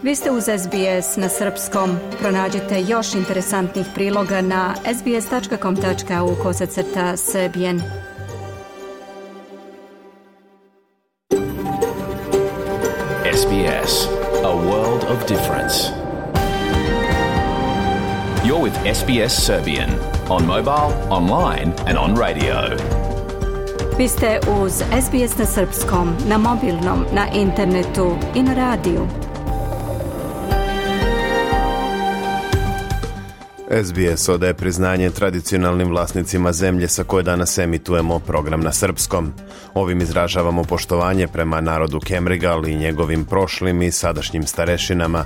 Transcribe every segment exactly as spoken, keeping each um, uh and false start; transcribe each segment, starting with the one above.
Vi ste uz S B S na srpskom. Pronađite još interesantnih priloga na sbs.com.au kosacrta srbijen. S B S, a world of difference. You're with S B S Serbian on mobile, online and on radio. Vi ste uz S B S na srpskom, na mobilnom, na internetu i na radiju. S B S odaje priznanje tradicionalnim vlasnicima zemlje sa koje danas emitujemo program na srpskom. Ovim izražavamo poštovanje prema narodu Kemrigal i njegovim prošlim i sadašnjim starešinama.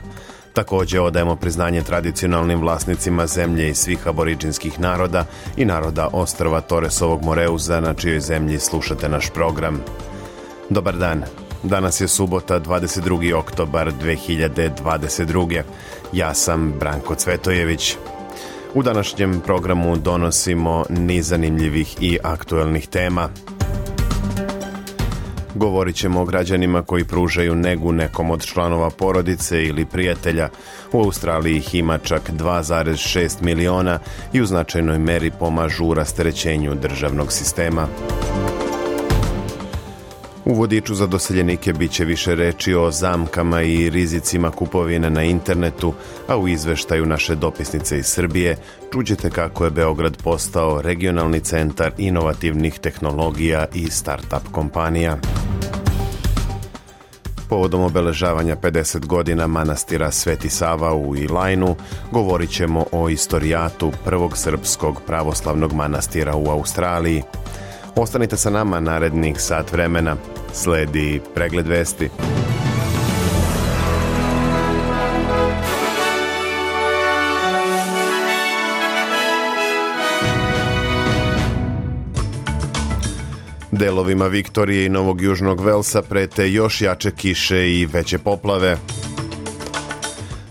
Također odajemo priznanje tradicionalnim vlasnicima zemlje i svih aboriđinskih naroda i naroda ostrva Toresovog Moreuza na čijoj zemlji slušate naš program. Dobar dan. Danas je subota, dvadeset drugi oktobar dve hiljade dvadeset druge. Ja sam Branko Cvetojević. U današnjem programu donosimo niz zanimljivih i aktuelnih tema. Govorit ćemo o građanima koji pružaju negu nekom od članova porodice ili prijatelja. U Australiji ih ima čak dva zarez šest miliona i u značajnoj meri pomažu u rasterećenju državnog sistema. U vodiču za doseljenike bit će više reči o zamkama i rizicima kupovine na internetu, a u izveštaju naše dopisnice iz Srbije čućete kako je Beograd postao regionalni centar inovativnih tehnologija i start-up kompanija. Povodom obeležavanja pedeset godina manastira Sveti Sava u Ilajnu govorit ćemo o istorijatu prvog srpskog pravoslavnog manastira u Australiji. Ostanite sa nama narednih sat vremena. Sledi pregled vesti. Delovima Viktorije i Novog Južnog Velsa prete još jače kiše i veće poplave.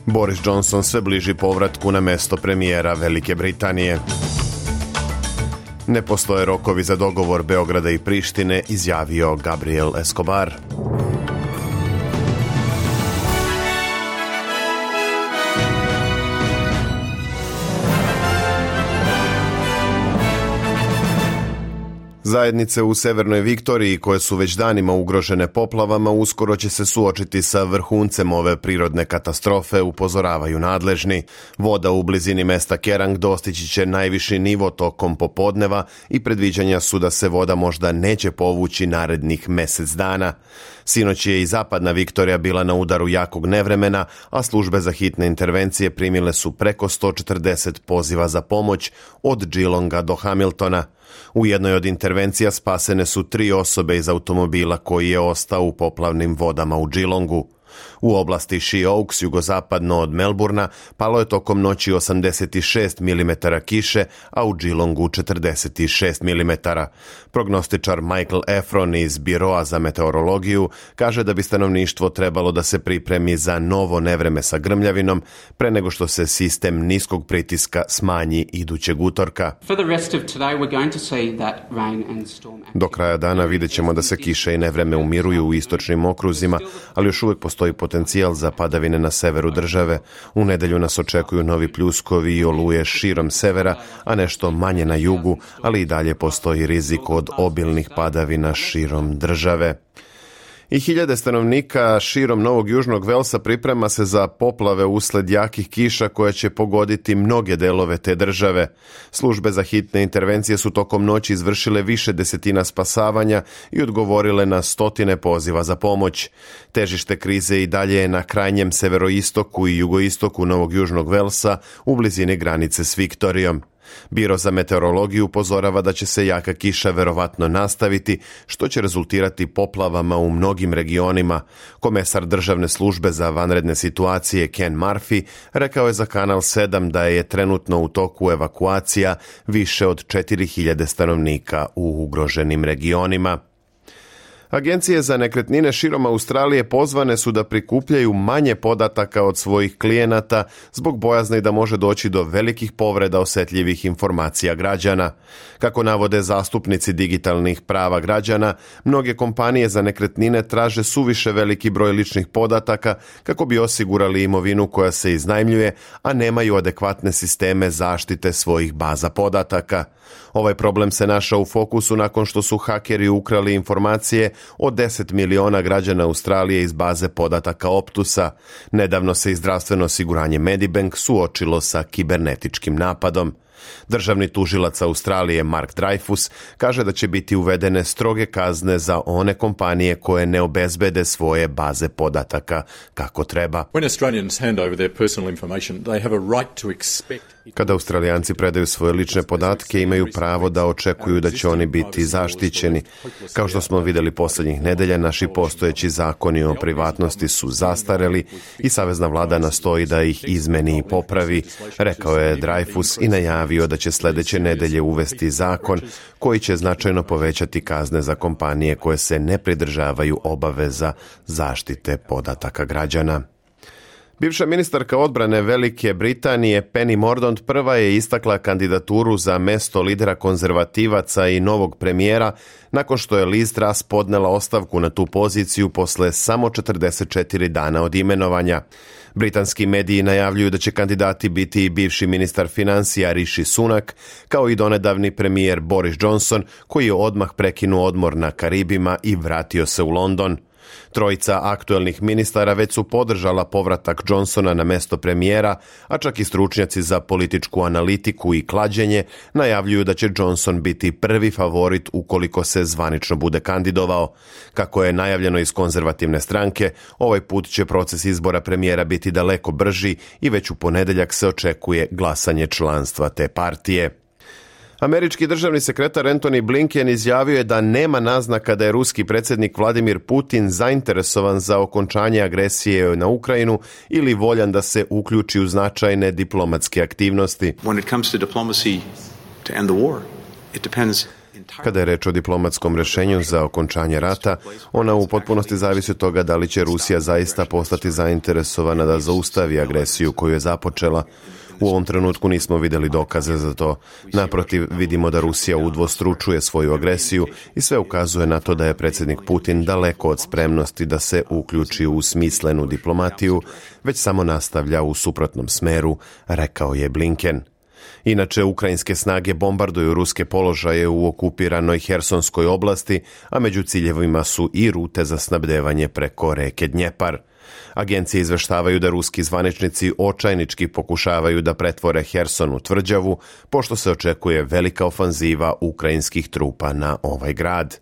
Boris Johnson sve bliži povratku na mesto premijera Velike Britanije. Ne postoje rokovi za dogovor Beograda i Prištine, izjavio Gabriel Escobar. Zajednice u Severnoj Viktoriji, koje su već danima ugrožene poplavama, uskoro će se suočiti sa vrhuncem ove prirodne katastrofe, upozoravaju nadležni. Voda u blizini mesta Kerang dostići će najviši nivo tokom popodneva i predviđanja su da se voda možda neće povući narednih mjesec dana. Sinoć je i zapadna Viktorija bila na udaru jakog nevremena, a službe za hitne intervencije primile su preko sto četrdeset poziva za pomoć od Geelonga do Hamiltona. U jednoj od intervencija spasene su tri osobe iz automobila koji je ostao u poplavnim vodama u Geelongu. U oblasti She Oaks, jugozapadno od Melburna, palo je tokom noći osamdeset šest milimetara kiše, a u Geelongu četrdeset šest milimetara. Prognostičar Michael Efron iz Biroa za meteorologiju kaže da bi stanovništvo trebalo da se pripremi za novo nevreme sa grmljavinom pre nego što se sistem niskog pritiska smanji idućeg utorka. Do kraja dana vidjet ćemo da se kiše i nevreme umiruju u istočnim okruzima, ali još uvijek postoji potencijal za padavine na severu države. U nedelju nas očekuju novi pljuskovi i oluje širom severa, a nešto manje na jugu, ali i dalje postoji rizik od obilnih padavina širom države. I hiljade stanovnika širom Novog Južnog Velsa priprema se za poplave usled jakih kiša koje će pogoditi mnoge delove te države. Službe za hitne intervencije su tokom noći izvršile više desetina spasavanja i odgovorile na stotine poziva za pomoć. Težište krize i dalje je na krajnjem severoistoku i jugoistoku Novog Južnog Velsa u blizini granice s Viktorijom. Biro za meteorologiju upozorava da će se jaka kiša verovatno nastaviti, što će rezultirati poplavama u mnogim regionima. Komesar državne službe za vanredne situacije Ken Murphy rekao je za Kanal sedam da je trenutno u toku evakuacija više od četiri hiljade stanovnika u ugroženim regionima. Agencije za nekretnine širom Australije pozvane su da prikupljaju manje podataka od svojih klijenata zbog bojazni da može doći do velikih povreda osetljivih informacija građana. Kako navode zastupnici digitalnih prava građana, mnoge kompanije za nekretnine traže suviše veliki broj ličnih podataka kako bi osigurali imovinu koja se iznajmljuje, a nemaju adekvatne sisteme zaštite svojih baza podataka. Ovaj problem se našao u fokusu nakon što su hakeri ukrali informacije od deset miliona građana Australije iz baze podataka Optusa. Nedavno se i zdravstveno osiguranje Medibank suočilo sa kibernetičkim napadom. Državni tužilac Australije Mark Dreyfus kaže da će biti uvedene stroge kazne za one kompanije koje ne obezbede svoje baze podataka kako treba. Kada Australijanci predaju svoje lične podatke, imaju pravo da očekuju da će oni biti zaštićeni. Kao što smo vidjeli posljednjih nedelja, naši postojeći zakoni o privatnosti su zastareli i savezna vlada nastoji da ih izmeni i popravi, rekao je Dreyfus i najavio da će sljedeće nedelje uvesti zakon koji će značajno povećati kazne za kompanije koje se ne pridržavaju obaveza zaštite podataka građana. Bivša ministarka odbrane Velike Britanije Penny Mordaunt prva je istakla kandidaturu za mesto lidera konzervativaca i novog premijera nakon što je Liz Truss podnela ostavku na tu poziciju posle samo četrdeset četiri dana od imenovanja. Britanski mediji najavljuju da će kandidati biti i bivši ministar financija Rishi Sunak, kao i donedavni premijer Boris Johnson, koji je odmah prekinuo odmor na Karibima i vratio se u London. Trojica aktuelnih ministara već su podržala povratak Johnsona na mesto premijera, a čak i stručnjaci za političku analitiku i klađenje najavljuju da će Johnson biti prvi favorit ukoliko se zvanično bude kandidovao. Kako je najavljeno iz konzervativne stranke, ovaj put će proces izbora premijera biti daleko brži i već u ponedjeljak se očekuje glasanje članstva te partije. Američki državni sekretar Antony Blinken izjavio je da nema naznaka da je ruski predsjednik Vladimir Putin zainteresovan za okončanje agresije na Ukrajinu ili voljan da se uključi u značajne diplomatske aktivnosti. Kada je reč o diplomatskom rješenju za okončanje rata, ona u potpunosti zavisi od toga da li će Rusija zaista postati zainteresovana da zaustavi agresiju koju je započela. U ovom trenutku nismo vidjeli dokaze za to. Naprotiv, vidimo da Rusija udvostručuje svoju agresiju i sve ukazuje na to da je predsjednik Putin daleko od spremnosti da se uključi u smislenu diplomatiju, već samo nastavlja u suprotnom smeru, rekao je Blinken. Inače, ukrajinske snage bombarduju ruske položaje u okupiranoj Hersonskoj oblasti, a među ciljevima su i rute za snabdevanje preko reke Dnjepar. Agencije izveštavaju da ruski zvaničnici očajnički pokušavaju da pretvore Herson u tvrđavu, pošto se očekuje velika ofanziva ukrajinskih trupa na ovaj grad.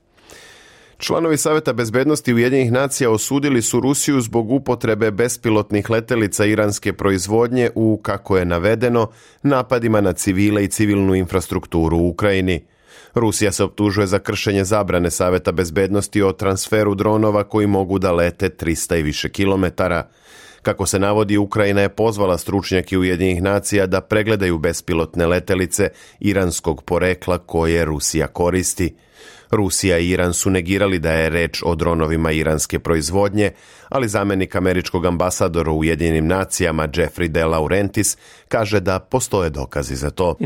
Članovi Saveta bezbednosti Ujedinjenih nacija osudili su Rusiju zbog upotrebe bespilotnih letelica iranske proizvodnje u, kako je navedeno, napadima na civile i civilnu infrastrukturu u Ukrajini. Rusija se optužuje za kršenje zabrane Saveta bezbednosti o transferu dronova koji mogu da lete trista i više kilometara. Kako se navodi, Ukrajina je pozvala stručnjake Ujedinjenih nacija da pregledaju bespilotne letelice iranskog porekla koje Rusija koristi. Rusija i Iran su negirali da je reč o dronovima iranske proizvodnje, ali zamjenik američkog ambasadora u Ujedinjenim nacijama Jeffrey De Laurentiis kaže da postoje dokazi za to.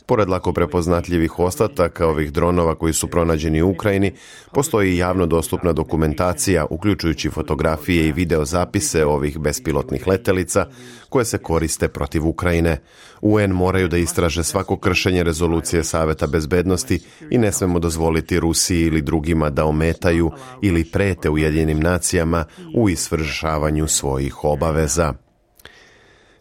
Pored lako prepoznatljivih ostataka ovih dronova koji su pronađeni u Ukrajini, postoji javno dostupna dokumentacija, uključujući fotografije i videozapise ovih bespilotnih letelica koje se koriste protiv Ukrajine. U en moraju da istraže svako kršenje rezolucije Saveta bezbednosti i ne smemo dozvoliti Rusiji ili drugima da ometaju ili prete Ujedinjenim nacijama u izvršavanju svojih obaveza.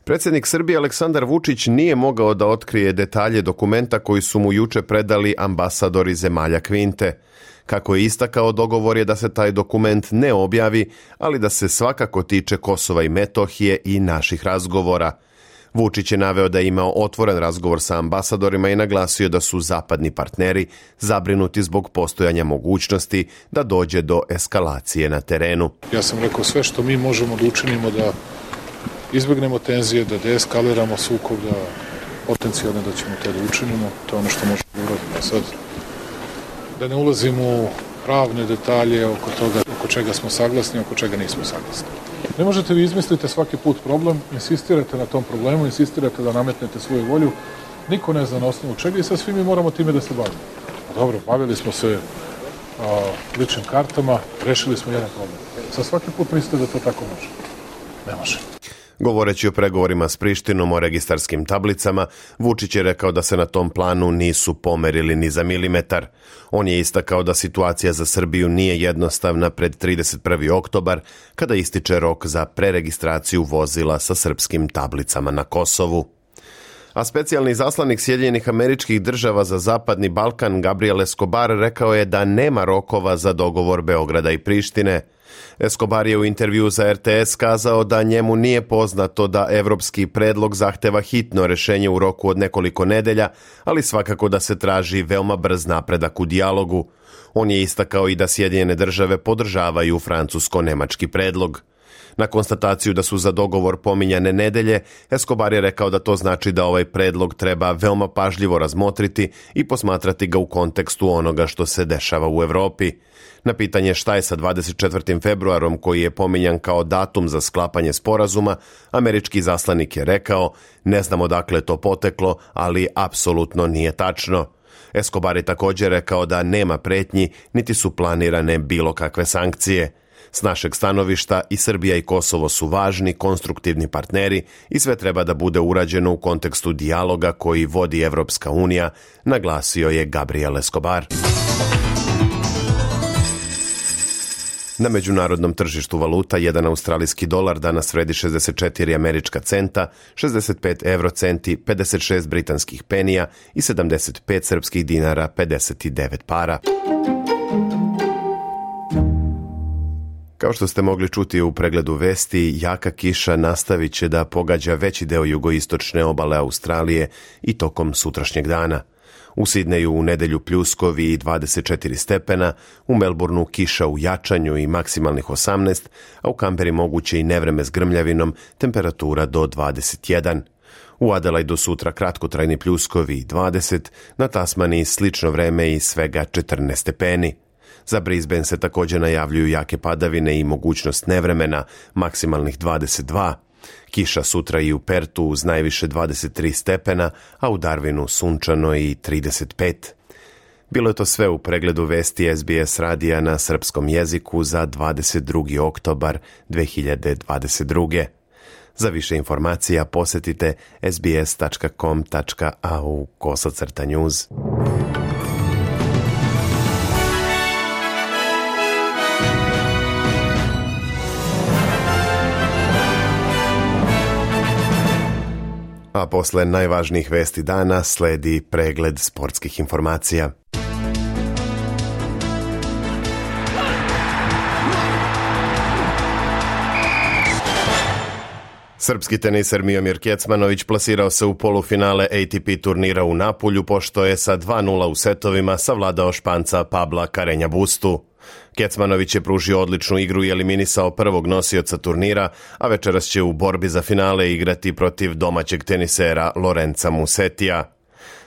Predsjednik Srbije Aleksandar Vučić nije mogao da otkrije detalje dokumenta koji su mu juče predali ambasadori zemalja Kvinte. Kako je istakao, dogovor je da se taj dokument ne objavi, ali da se svakako tiče Kosova i Metohije i naših razgovora. Vučić je naveo da je imao otvoren razgovor sa ambasadorima i naglasio da su zapadni partneri zabrinuti zbog postojanja mogućnosti da dođe do eskalacije na terenu. Ja sam rekao sve što mi možemo da učinimo da izbegnemo tenzije, da deeskaliramo sukob, da potencijalno da ćemo to da učinimo, to je ono što možemo da uradimo sad. da ne ulazim u pravne detalje oko toga, oko čega smo saglasni, oko čega nismo saglasni. Ne možete vi izmislite svaki put problem, insistirate na tom problemu, insistirate da nametnete svoju volju, niko ne zna na osnovu čega i sad svi mi moramo time da se bavimo. Dobro, bavili smo se a, ličnim kartama, rešili smo jedan problem. Sad svaki put mislite da to tako može. Ne može. Govoreći o pregovorima s Prištinom o registarskim tablicama, Vučić je rekao da se na tom planu nisu pomerili ni za milimetar. On je istakao da situacija za Srbiju nije jednostavna pred trideset prvi oktobar, kada ističe rok za preregistraciju vozila sa srpskim tablicama na Kosovu. A specijalni zaslanik Sjedinjenih Američkih Država za Zapadni Balkan Gabriel Escobar rekao je da nema rokova za dogovor Beograda i Prištine. Escobar je u intervju za R T S kazao da njemu nije poznato da evropski predlog zahteva hitno rešenje u roku od nekoliko nedelja, ali svakako da se traži veoma brz napredak u dijalogu. On je istakao i da Sjedinjene Države podržavaju francusko-nemački predlog. Na konstataciju da su za dogovor pominjane nedelje, Escobar je rekao da to znači da ovaj predlog treba veoma pažljivo razmotriti i posmatrati ga u kontekstu onoga što se dešava u Evropi. Na pitanje šta je sa dvadeset četvrtim februarom koji je pominjan kao datum za sklapanje sporazuma, američki zaslanik je rekao: ne znam odakle to poteklo, ali apsolutno nije tačno. Escobar je također rekao da nema pretnji, niti su planirane bilo kakve sankcije. S našeg stanovišta i Srbija i Kosovo su važni, konstruktivni partneri i sve treba da bude urađeno u kontekstu dijaloga koji vodi Evropska unija, naglasio je Gabriel Escobar. Na međunarodnom tržištu valuta jedan australijski dolar danas vredi šezdeset četiri američka centa, šezdeset pet eurocenti, pedeset šest britanskih penija i sedamdeset pet srpskih dinara pedeset devet para. Kao što ste mogli čuti u pregledu vesti, jaka kiša nastavit će da pogađa veći deo jugoistočne obale Australije i tokom sutrašnjeg dana. U Sidneju u nedelju pljuskovi i dvadeset četiri stepena, u Melbourneu kiša u jačanju i maksimalnih osamnaest, a u Kamberi moguće i nevreme s grmljavinom, temperatura do dvadeset jedan. U Adelaidu sutra kratkotrajni pljuskovi i dvadeset, na Tasmaniji slično vreme i svega četrnaest stepeni. Za Brisbane se također najavljuju jake padavine i mogućnost nevremena, maksimalnih dvadeset dva. Kiša sutra i u Pertu uz najviše dvadeset tri stepena, a u Darwinu sunčano i trideset pet. Bilo je to sve u pregledu vesti S B S radija na srpskom jeziku za dvadeset drugi oktobar dve hiljade dvadeset druge. Za više informacija posjetite sbs tačka com tačka a u kosacrta news. A posle najvažnijih vesti dana sledi pregled sportskih informacija. Srpski teniser Miomir Kecmanović plasirao se u polufinale A T P turnira u Napulju, pošto je sa dva nula u setovima savladao Španca Pabla Carreña Bustu. Kecmanović je pružio odličnu igru i eliminisao prvog nosioca turnira, a večeras će u borbi za finale igrati protiv domaćeg tenisera Lorenza Musetija.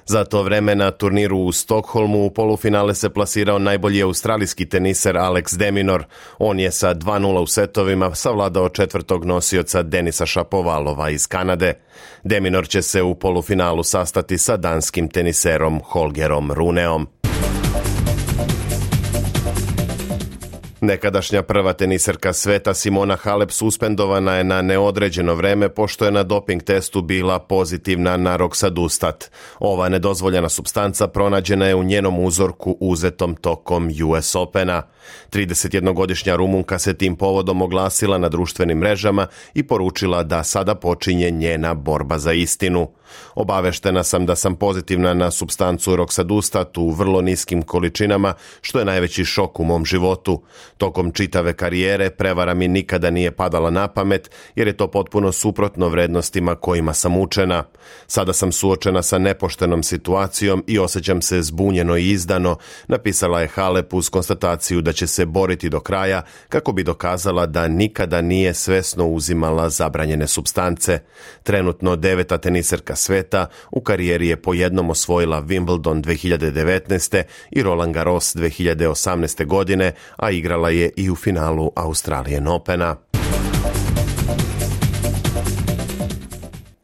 Za to vreme na turniru u Stokholmu u polufinale se plasirao najbolji australijski teniser Alex de Minaur. On je sa dva nula u setovima savladao četvrtog nosioca Denisa Shapovalova iz Kanade. De Minaur će se u polufinalu sastati sa danskim teniserom Holgerom Runeom. Nekadašnja prva teniserka sveta Simona Halep suspendovana je na neodređeno vreme pošto je na doping testu bila pozitivna na Roxadustat. Ova nedozvoljena supstanca pronađena je u njenom uzorku uzetom tokom U S Opena. tridesetjednogodišnja Rumunka se tim povodom oglasila na društvenim mrežama i poručila da sada počinje njena borba za istinu. Obaveštena sam da sam pozitivna na supstancu Roxadustat u vrlo niskim količinama, što je najveći šok u mom životu. Tokom čitave karijere prevara mi nikada nije padala na pamet, jer je to potpuno suprotno vrednostima kojima sam učena. Sada sam suočena sa nepoštenom situacijom i osjećam se zbunjeno i izdano, napisala je Halep uz konstataciju da će se boriti do kraja kako bi dokazala da nikada nije svesno uzimala zabranjene supstance. Trenutno deveta teniserka sveta, u karijeri je po jednom osvojila Wimbledon dve hiljade devetnaeste. i Roland Garros dve hiljade osamnaeste. godine, a igrala je i u finalu Australian Opena.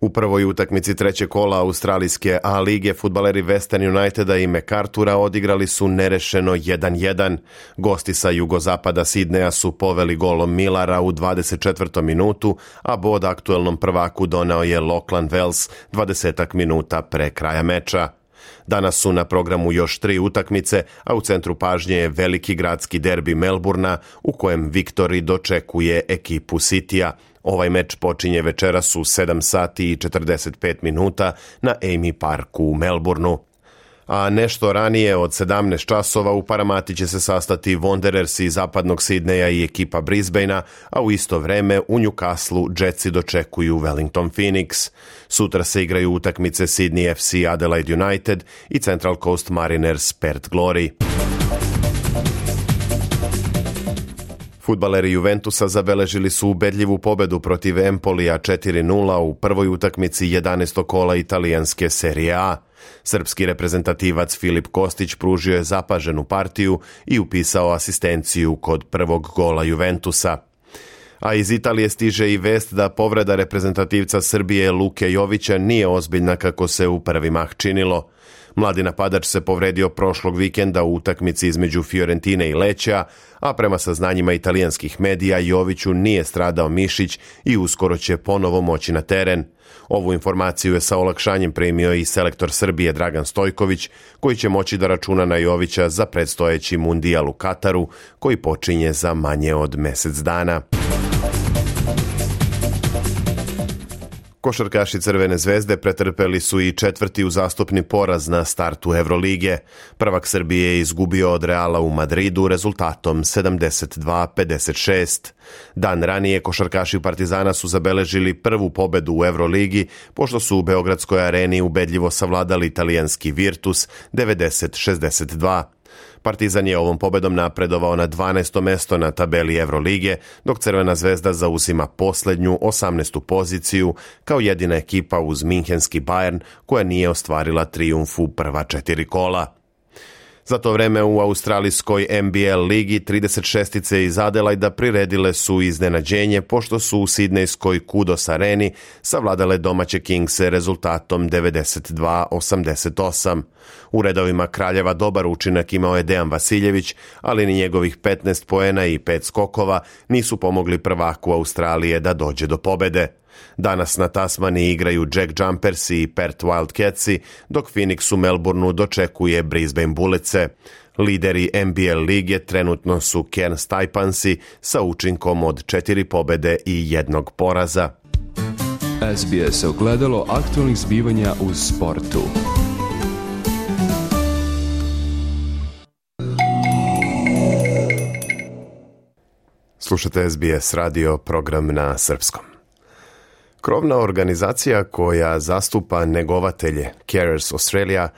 U prvoj utakmici trećeg kola australijske A lige fudbaleri Western Uniteda i MacArthura odigrali su nerešeno jedan jedan. Gosti sa jugozapada Sidneja su poveli golom Millara u dvadeset četvrtom minutu, a bod aktuelnom prvaku doneo je Lachlan Wells dvadesetak minuta pre kraja meča. Danas su na programu još tri utakmice, a u centru pažnje je veliki gradski derbi Melburna, u kojem Victory dočekuje ekipu Citya. Ovaj meč počinje večeras u sedam sati i četrdeset pet minuta na Amy Parku u Melbourneu. A nešto ranije od sedamnaest časova u Paramati će se sastati Wanderers iz zapadnog Sidneja i ekipa Brisbanea, a u isto vreme u Newcastleu Jetsi dočekuju Wellington Phoenix. Sutra se igraju utakmice Sydney F C Adelaide United i Central Coast Mariners Perth Glory. Fudbaleri Juventusa zabeležili su ubedljivu pobedu protiv Empolija četiri nula u prvoj utakmici jedanaestog kola italijanske Serije A. Srpski reprezentativac Filip Kostić pružio je zapaženu partiju i upisao asistenciju kod prvog gola Juventusa. A iz Italije stiže i vest da povreda reprezentativca Srbije Luke Jovića nije ozbiljna kako se u prvi mah činilo. Mladi napadač se povredio prošlog vikenda u utakmici između Fiorentine i Leća, a prema saznanjima italijanskih medija Joviću nije stradao mišić i uskoro će ponovo moći na teren. Ovu informaciju je sa olakšanjem primio i selektor Srbije Dragan Stojković, koji će moći da računa na Jovića za predstojeći mundijal u Kataru, koji počinje za manje od mesec dana. Košarkaši Crvene zvezde pretrpeli su i četvrti uzastopni poraz na startu Evrolige. Prvak Srbije je izgubio od Reala u Madridu rezultatom sedamdeset dva pedeset šest. Dan ranije košarkaši Partizana su zabeležili prvu pobedu u Evroligi, pošto su u Beogradskoj areni ubedljivo savladali italijanski Virtus devedeset šezdeset dva. Partizan je ovom pobedom napredovao na dvanaesto mesto na tabeli Evrolige, dok Crvena zvezda zauzima poslednju osamnaestu poziciju kao jedina ekipa uz minhenski Bayern koja nije ostvarila trijumf u prva četiri kola. Za to vreme u australijskoj N B L ligi trideset šestice iz Adelaida priredile su iznenađenje pošto su u sidnejskoj Kudos areni savladale domaće Kingse rezultatom devedeset dva osamdeset osam. U redovima Kraljeva dobar učinak imao je Dejan Vasiljević, ali ni njegovih petnaest poena i pet skokova nisu pomogli prvaku Australije da dođe do pobede. Danas na Tasmani igraju Jack Jumpersi i Perth Wildcatsi, dok Phoenix u Melbourneu dočekuje Brisbane Bulletse. Lideri N B L lige trenutno su Cairns Taipansi sa učinkom od četiri pobede i jednog poraza. S B S ogledalo aktualnih zbivanja u sportu. Slušate S B S radio, program na srpskom. Krovna organizacija koja zastupa negovatelje, Carers Australia,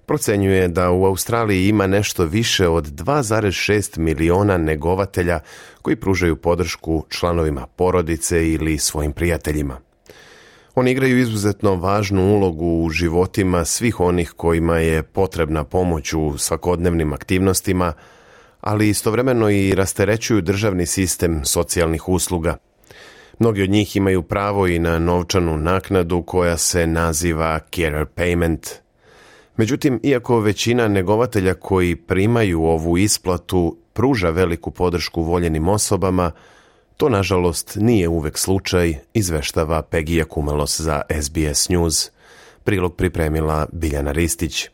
procenjuje da u Australiji ima nešto više od dva zarez šest miliona negovatelja koji pružaju podršku članovima porodice ili svojim prijateljima. Oni igraju izuzetno važnu ulogu u životima svih onih kojima je potrebna pomoć u svakodnevnim aktivnostima, ali istovremeno i rasterećuju državni sistem socijalnih usluga. Mnogi od njih imaju pravo i na novčanu naknadu koja se naziva carer payment. Međutim, iako većina negovatelja koji primaju ovu isplatu pruža veliku podršku voljenim osobama, to nažalost nije uvek slučaj, izveštava Pegija Kumelos za S B S News. Prilog pripremila Biljana Ristić.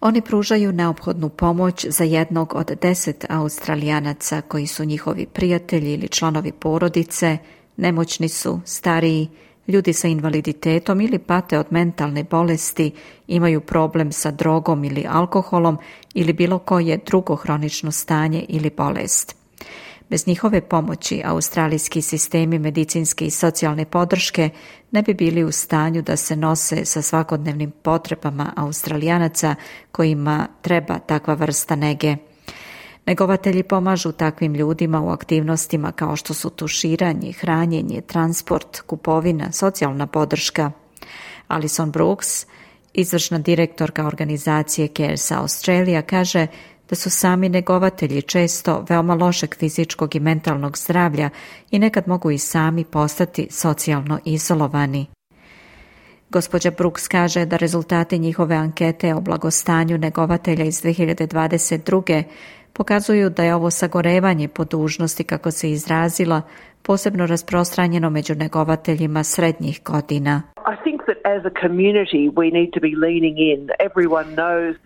Oni pružaju neophodnu pomoć za jednog od deset Australijanaca koji su njihovi prijatelji ili članovi porodice, nemoćni su, stariji, ljudi sa invaliditetom ili pate od mentalne bolesti, imaju problem sa drogom ili alkoholom ili bilo koje drugo hronično stanje ili bolest. Bez njihove pomoći australijski sistemi medicinske i socijalne podrške ne bi bili u stanju da se nose sa svakodnevnim potrebama Australijanaca kojima treba takva vrsta nege. Negovatelji pomažu takvim ljudima u aktivnostima kao što su tuširanje, hranjenje, transport, kupovina, socijalna podrška. Alison Brooks, izvršna direktorka organizacije Cares Australia, kaže da su sami negovatelji često veoma lošeg fizičkog i mentalnog zdravlja i nekad mogu i sami postati socijalno izolovani. Gospođa Brooks kaže da rezultati njihove ankete o blagostanju negovatelja iz dve hiljade dvadeset druge pokazuju da je ovo sagorevanje po dužnosti, kako se izrazila, posebno rasprostranjeno među negovateljima srednjih godina.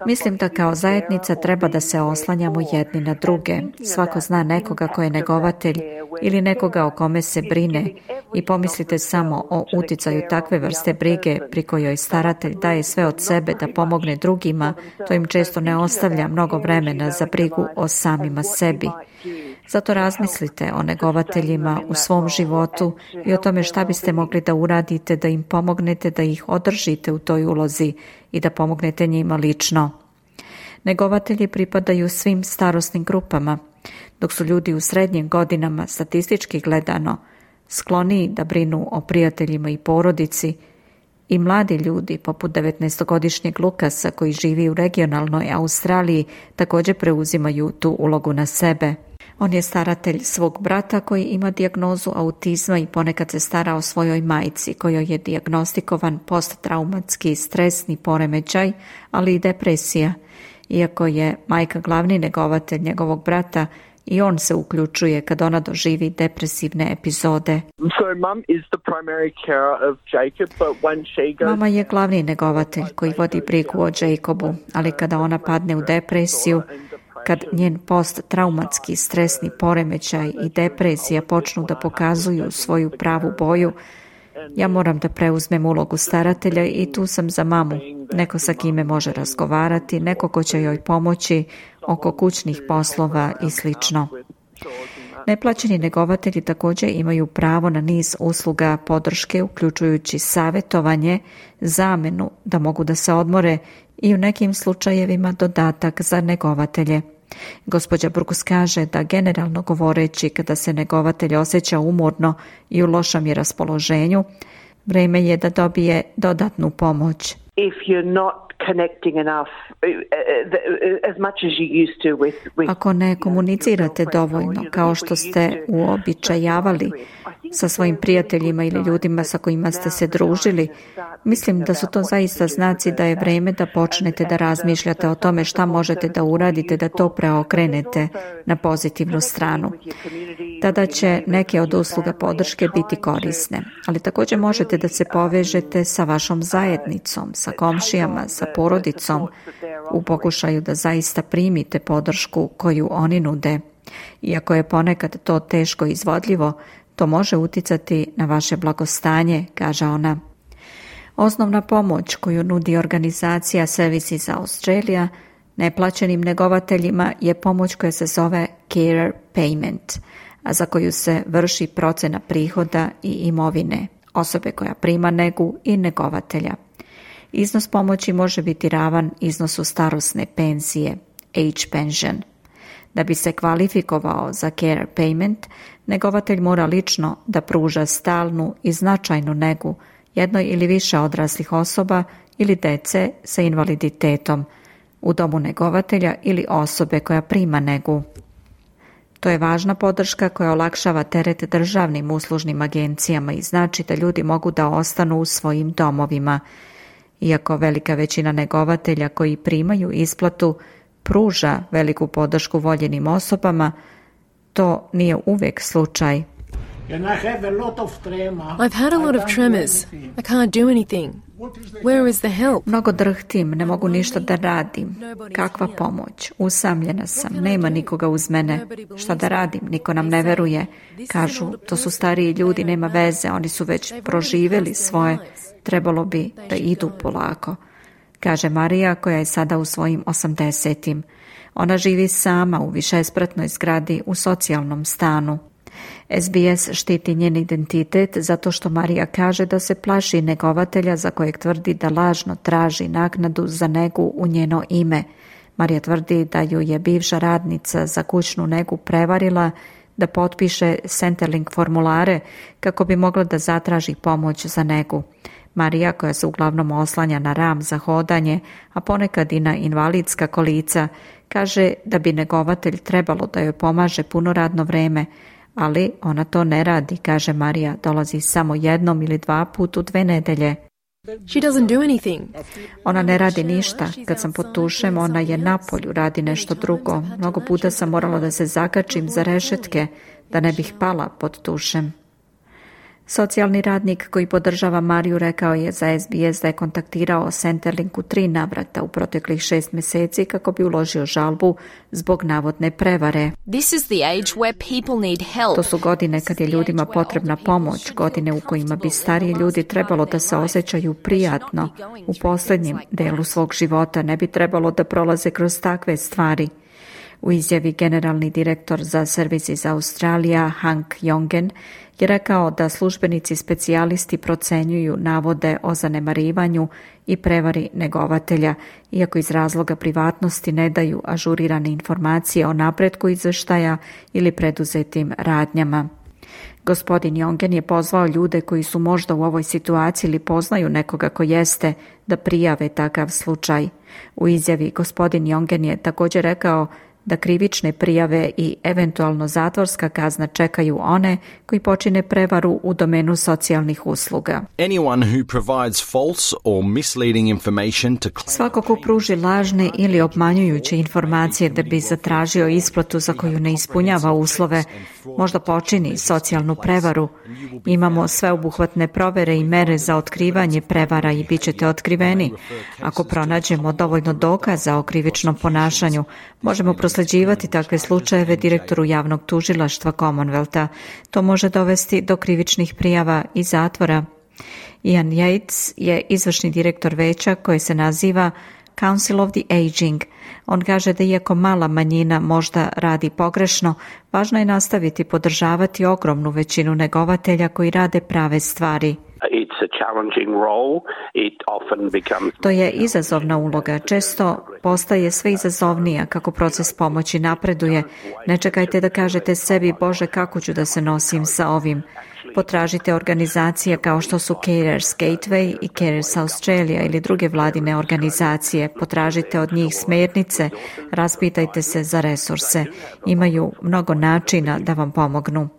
Mislim da kao zajednica treba da se oslanjamo jedni na druge. Svako zna nekoga ko je negovatelj ili nekoga o kome se brine i pomislite samo o uticaju takve vrste brige pri kojoj staratelj daje sve od sebe da pomogne drugima, to im često ne ostavlja mnogo vremena za brigu o samima sebi. Zato razmislite o negovateljima u svom životu i o tome šta biste mogli da uradite, da im pomognete, da ih održite u toj ulozi i da pomognete njima lično. Negovatelji pripadaju svim starosnim grupama, dok su ljudi u srednjim godinama, statistički gledano, skloniji da brinu o prijateljima i porodici, i mladi ljudi poput devetnaestogodišnjeg Lukasa koji živi u regionalnoj Australiji također preuzimaju tu ulogu na sebe. On je staratelj svog brata koji ima dijagnozu autizma i ponekad se stara o svojoj majci kojoj je dijagnostikovan posttraumatski stresni poremećaj, ali i depresija. Iako je majka glavni negovatelj njegovog brata, i on se uključuje kad ona doživi depresivne epizode. Mama je glavni negovatelj koji vodi brigu o Jacobu, ali kada ona padne u depresiju, kad njen posttraumatski stresni poremećaj i depresija počnu da pokazuju svoju pravu boju, ja moram da preuzmem ulogu staratelja i tu sam za mamu, neko sa kime može razgovarati, neko ko će joj pomoći oko kućnih poslova i slično. Neplaćeni negovatelji također imaju pravo na niz usluga podrške, uključujući savjetovanje, zamenu da mogu da se odmore i u nekim slučajevima dodatak za negovatelje. Gospođa Brooks kaže da generalno govoreći, kada se negovatelj osjeća umorno i u lošem je raspoloženju, vrijeme je da dobije dodatnu pomoć. Ako ne komunicirate dovoljno kao što ste uobičajavali sa svojim prijateljima ili ljudima sa kojima ste se družili, mislim da su to zaista znaci da je vrijeme da počnete da razmišljate o tome šta možete da uradite da to preokrenete na pozitivnu stranu. Tada će neke od usluga podrške biti korisne, ali također možete da se povežete sa vašom zajednicom, sa komšijama, sa porodicom u pokušaju da zaista primite podršku koju oni nude. Iako je ponekad to teško izvodljivo, to može uticati na vaše blagostanje, kaže ona. Osnovna pomoć koju nudi organizacija Services Australia neplaćenim negovateljima je pomoć koja se zove Care Payment, a za koju se vrši procena prihoda i imovine osobe koja prima negu i negovatelja. Iznos pomoći može biti ravan iznosu starosne penzije, age pension. Da bi se kvalifikovao za care payment, negovatelj mora lično da pruža stalnu i značajnu negu jednoj ili više odraslih osoba ili dece sa invaliditetom u domu negovatelja ili osobe koja prima negu. To je važna podrška koja olakšava teret državnim uslužnim agencijama i znači da ljudi mogu da ostanu u svojim domovima. Iako velika većina negovatelja koji primaju isplatu pruža veliku podršku voljenim osobama, to nije uvijek slučaj. I've had a lot of tremors. I can't do anything. Where is the help? Mnogo drhtim, ne mogu ništa da radim. Kakva pomoć? Usamljena sam, nema nikoga uz mene. Šta da radim? Niko nam ne veruje. Kažu, to su stariji ljudi, nema veze, oni su već proživjeli svoje. Trebalo bi da idu polako, kaže Marija koja je sada u svojim osamdesetim. Ona živi sama u višespratnoj zgradi u socijalnom stanu. S B S štiti njen identitet zato što Marija kaže da se plaši negovatelja za kojeg tvrdi da lažno traži naknadu za negu u njeno ime. Marija tvrdi da ju je bivša radnica za kućnu negu prevarila da potpiše Centrelink formulare kako bi mogla da zatraži pomoć za negu. Marija, koja se uglavnom oslanja na ram za hodanje, a ponekad i na invalidska kolica, kaže da bi negovatelj trebalo da joj pomaže puno radno vreme, ali ona to ne radi, kaže Marija, dolazi samo jednom ili dva put u dve nedelje. She doesn't do anything. Ona ne radi ništa. Kad sam pod tušem, ona je napolju, radi nešto drugo. Mnogo puta sam morala da se zakačim za rešetke, da ne bih pala pod tušem. Socijalni radnik koji podržava Mariju rekao je za S B S da je kontaktirao Centerlink u tri navrata u proteklih šest mjeseci kako bi uložio žalbu zbog navodne prevare. This is the age where people need help. To su godine kad je ljudima potrebna pomoć, godine u kojima bi stariji ljudi trebalo da se osjećaju prijatno. U posljednjem delu svog života ne bi trebalo da prolaze kroz takve stvari. U izjavi generalni direktor za Services Australia Hank Jongen je rekao da službenici specijalisti procenjuju navode o zanemarivanju i prevari negovatelja, iako iz razloga privatnosti ne daju ažurirane informacije o napretku izveštaja ili preduzetim radnjama. Gospodin Jongen je pozvao ljude koji su možda u ovoj situaciji ili poznaju nekoga ko jeste da prijave takav slučaj. U izjavi gospodin Jongen je također rekao da krivične prijave i eventualno zatvorska kazna čekaju one koji počine prevaru u domenu socijalnih usluga. Anyone who provides false or misleading information to... Svako ko pruži lažne ili obmanjujuće informacije da bi zatražio isplatu za koju ne ispunjava uslove, možda počini socijalnu prevaru. Imamo sveobuhvatne provere i mere za otkrivanje prevara i bit ćete otkriveni. Ako pronađemo dovoljno dokaza o krivičnom ponašanju, možemo prosleđivati takve slučajeve direktoru javnog tužilaštva Commonwealtha. To može dovesti do krivičnih prijava i zatvora. Ian Yates je izvršni direktor veća koje se naziva Council of the Aging. On kaže da iako mala manjina možda radi pogrešno, važno je nastaviti podržavati ogromnu većinu negovatelja koji rade prave stvari. To je izazovna uloga. Često postaje sve izazovnija kako proces pomoći napreduje. Ne čekajte da kažete sebi, Bože, kako ću da se nosim sa ovim. Potražite organizacije kao što su Carers Gateway i Carers Australia ili druge vladine organizacije. Potražite od njih smjernice, raspitajte se za resurse. Imaju mnogo načina da vam pomognu.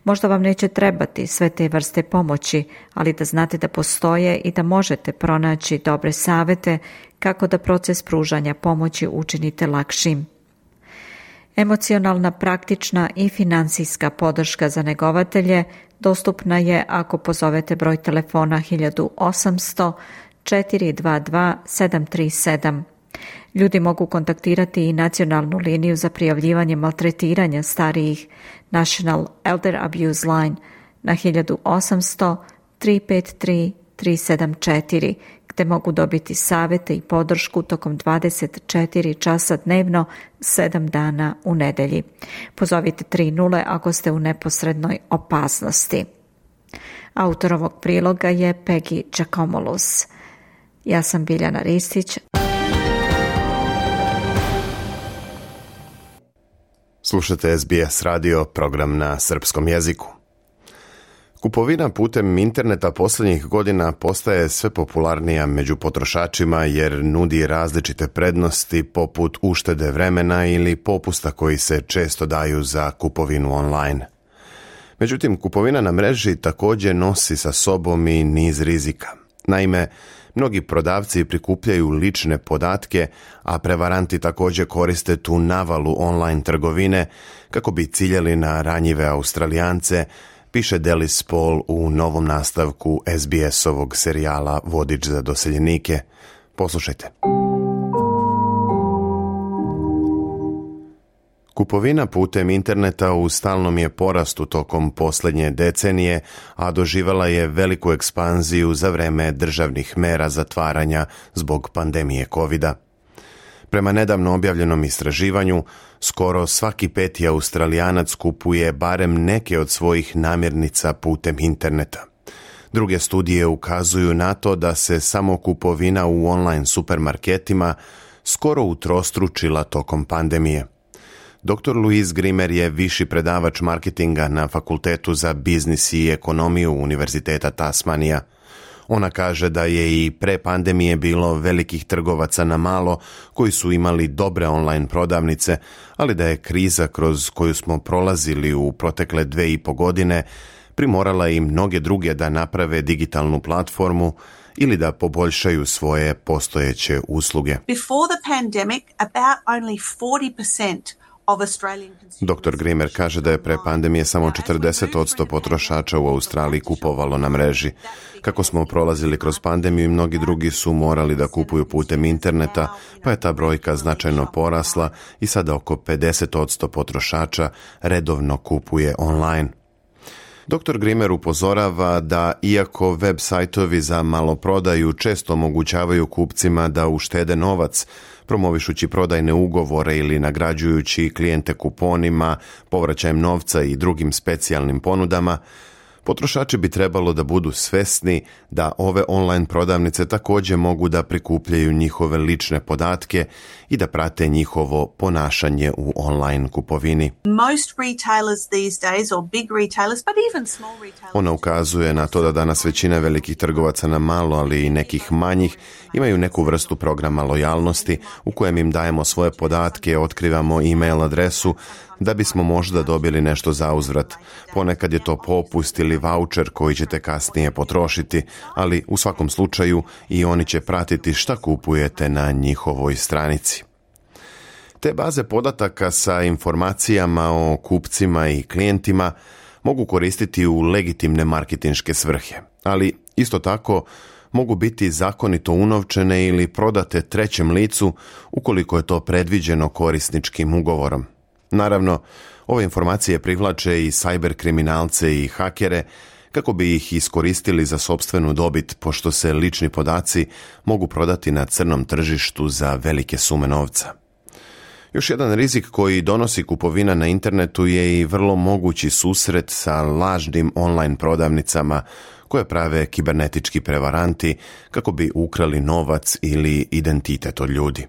Možda vam neće trebati sve te vrste pomoći, ali da znate da postoje i da možete pronaći dobre savjete kako da proces pružanja pomoći učinite lakšim. Emocionalna, praktična i financijska podrška za negovatelje dostupna je ako pozovete broj telefona hiljadu osamsto četiri dva dva sedam tri sedam. Ljudi mogu kontaktirati i nacionalnu liniju za prijavljivanje maltretiranja starijih National Elder Abuse Line na hiljadu osamsto tri pet tri tri sedam četiri, gde mogu dobiti savjete i podršku tokom dvadeset četiri časa dnevno, sedam dana u nedelji. Pozovite tri nula ako ste u neposrednoj opasnosti. Autor ovog priloga je Peggy Giacomolos. Ja sam Biljana Ristić. Slušate S B S radio, program na srpskom jeziku. Kupovina putem interneta posljednjih godina postaje sve popularnija među potrošačima jer nudi različite prednosti poput uštede vremena ili popusta koji se često daju za kupovinu online. Međutim, kupovina na mreži također nosi sa sobom i niz rizika. Naime, mnogi prodavci prikupljaju lične podatke, a prevaranti također koriste tu navalu online trgovine kako bi ciljali na ranjive Australijance, piše Delis Paul u novom nastavku S B S-ovog serijala Vodič za doseljenike. Poslušajte. Kupovina putem interneta u stalnom je porastu tokom posljednje decenije, a doživjela je veliku ekspanziju za vreme državnih mera zatvaranja zbog pandemije kovida. Prema nedavno objavljenom istraživanju, skoro svaki peti Australijanac kupuje barem neke od svojih namirnica putem interneta. Druge studije ukazuju na to da se samo kupovina u online supermarketima skoro utrostručila tokom pandemije. doktor Louise Grimer je viši predavač marketinga na Fakultetu za biznis i ekonomiju Univerziteta Tasmanija. Ona kaže da je i pre pandemije bilo velikih trgovaca na malo koji su imali dobre online prodavnice, ali da je kriza kroz koju smo prolazili u protekle dve i po godine primorala i mnoge druge da naprave digitalnu platformu ili da poboljšaju svoje postojeće usluge. Before the pandemic, about only forty percent doktor Grimer kaže da je pre pandemije samo četrdeset posto potrošača u Australiji kupovalo na mreži. Kako smo prolazili kroz pandemiju i mnogi drugi su morali da kupuju putem interneta, pa je ta brojka značajno porasla i sada oko pedeset posto potrošača redovno kupuje online. doktor Grimer upozorava da iako web sajtovi za maloprodaju često omogućavaju kupcima da uštede novac, promovišući prodajne ugovore ili nagrađujući klijente kuponima, povraćajem novca i drugim specijalnim ponudama, potrošači bi trebalo da budu svesni da ove online prodavnice također mogu da prikupljaju njihove lične podatke i da prate njihovo ponašanje u online kupovini. Most retailers these days, or big retailers, but even small retailers. Ona ukazuje na to da danas većina velikih trgovaca na malo, ali i nekih manjih, imaju neku vrstu programa lojalnosti u kojem im dajemo svoje podatke, otkrivamo e-mail adresu, da bismo možda dobili nešto za uzvrat. Ponekad je to popust ili voucher koji ćete kasnije potrošiti, ali u svakom slučaju i oni će pratiti šta kupujete na njihovoj stranici. Te baze podataka sa informacijama o kupcima i klijentima mogu koristiti u legitimne marketinške svrhe, ali isto tako mogu biti zakonito unovčene ili prodate trećem licu ukoliko je to predviđeno korisničkim ugovorom. Naravno, ove informacije privlače i sajber kriminalce i hakere kako bi ih iskoristili za sopstvenu dobit, pošto se lični podaci mogu prodati na crnom tržištu za velike sume novca. Još jedan rizik koji donosi kupovina na internetu je i vrlo mogući susret sa lažnim online prodavnicama koje prave kibernetički prevaranti kako bi ukrali novac ili identitet od ljudi.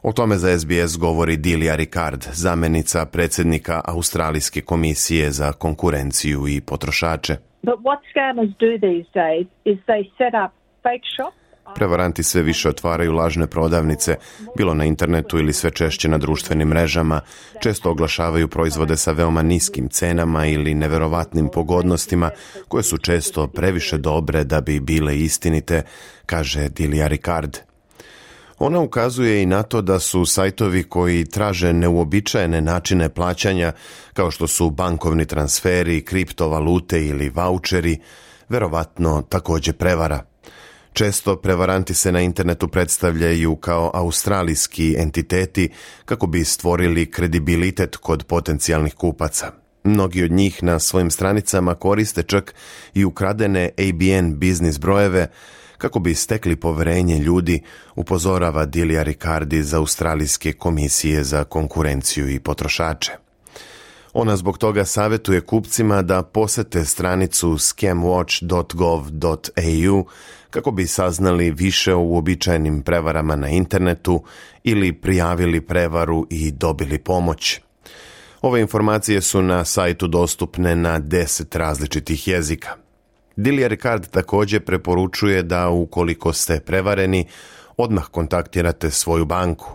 O tome za S B S govori Delia Ricard, zamjenica predsjednika Australijske komisije za konkurenciju i potrošače. But what scammers do these days is they set up fake shops. Prevaranti sve više otvaraju lažne prodavnice, bilo na internetu ili sve češće na društvenim mrežama, često oglašavaju proizvode sa veoma niskim cenama ili neverovatnim pogodnostima, koje su često previše dobre da bi bile istinite, kaže Delia Ricard. Ona ukazuje i na to da su sajtovi koji traže neuobičajene načine plaćanja, kao što su bankovni transferi, kriptovalute ili vaučeri, verovatno također prevara. Često prevaranti se na internetu predstavljaju kao australijski entiteti kako bi stvorili kredibilitet kod potencijalnih kupaca. Mnogi od njih na svojim stranicama koriste čak i ukradene A B N biznis brojeve kako bi stekli poverenje ljudi, upozorava Delia Ricard iz Australijske komisije za konkurenciju i potrošače. Ona zbog toga savjetuje kupcima da posete stranicu scam watch dot gov dot a u kako bi saznali više o uobičajenim prevarama na internetu ili prijavili prevaru i dobili pomoć. Ove informacije su na sajtu dostupne na deset različitih jezika. Delia Ricard također preporučuje da ukoliko ste prevareni, odmah kontaktirate svoju banku.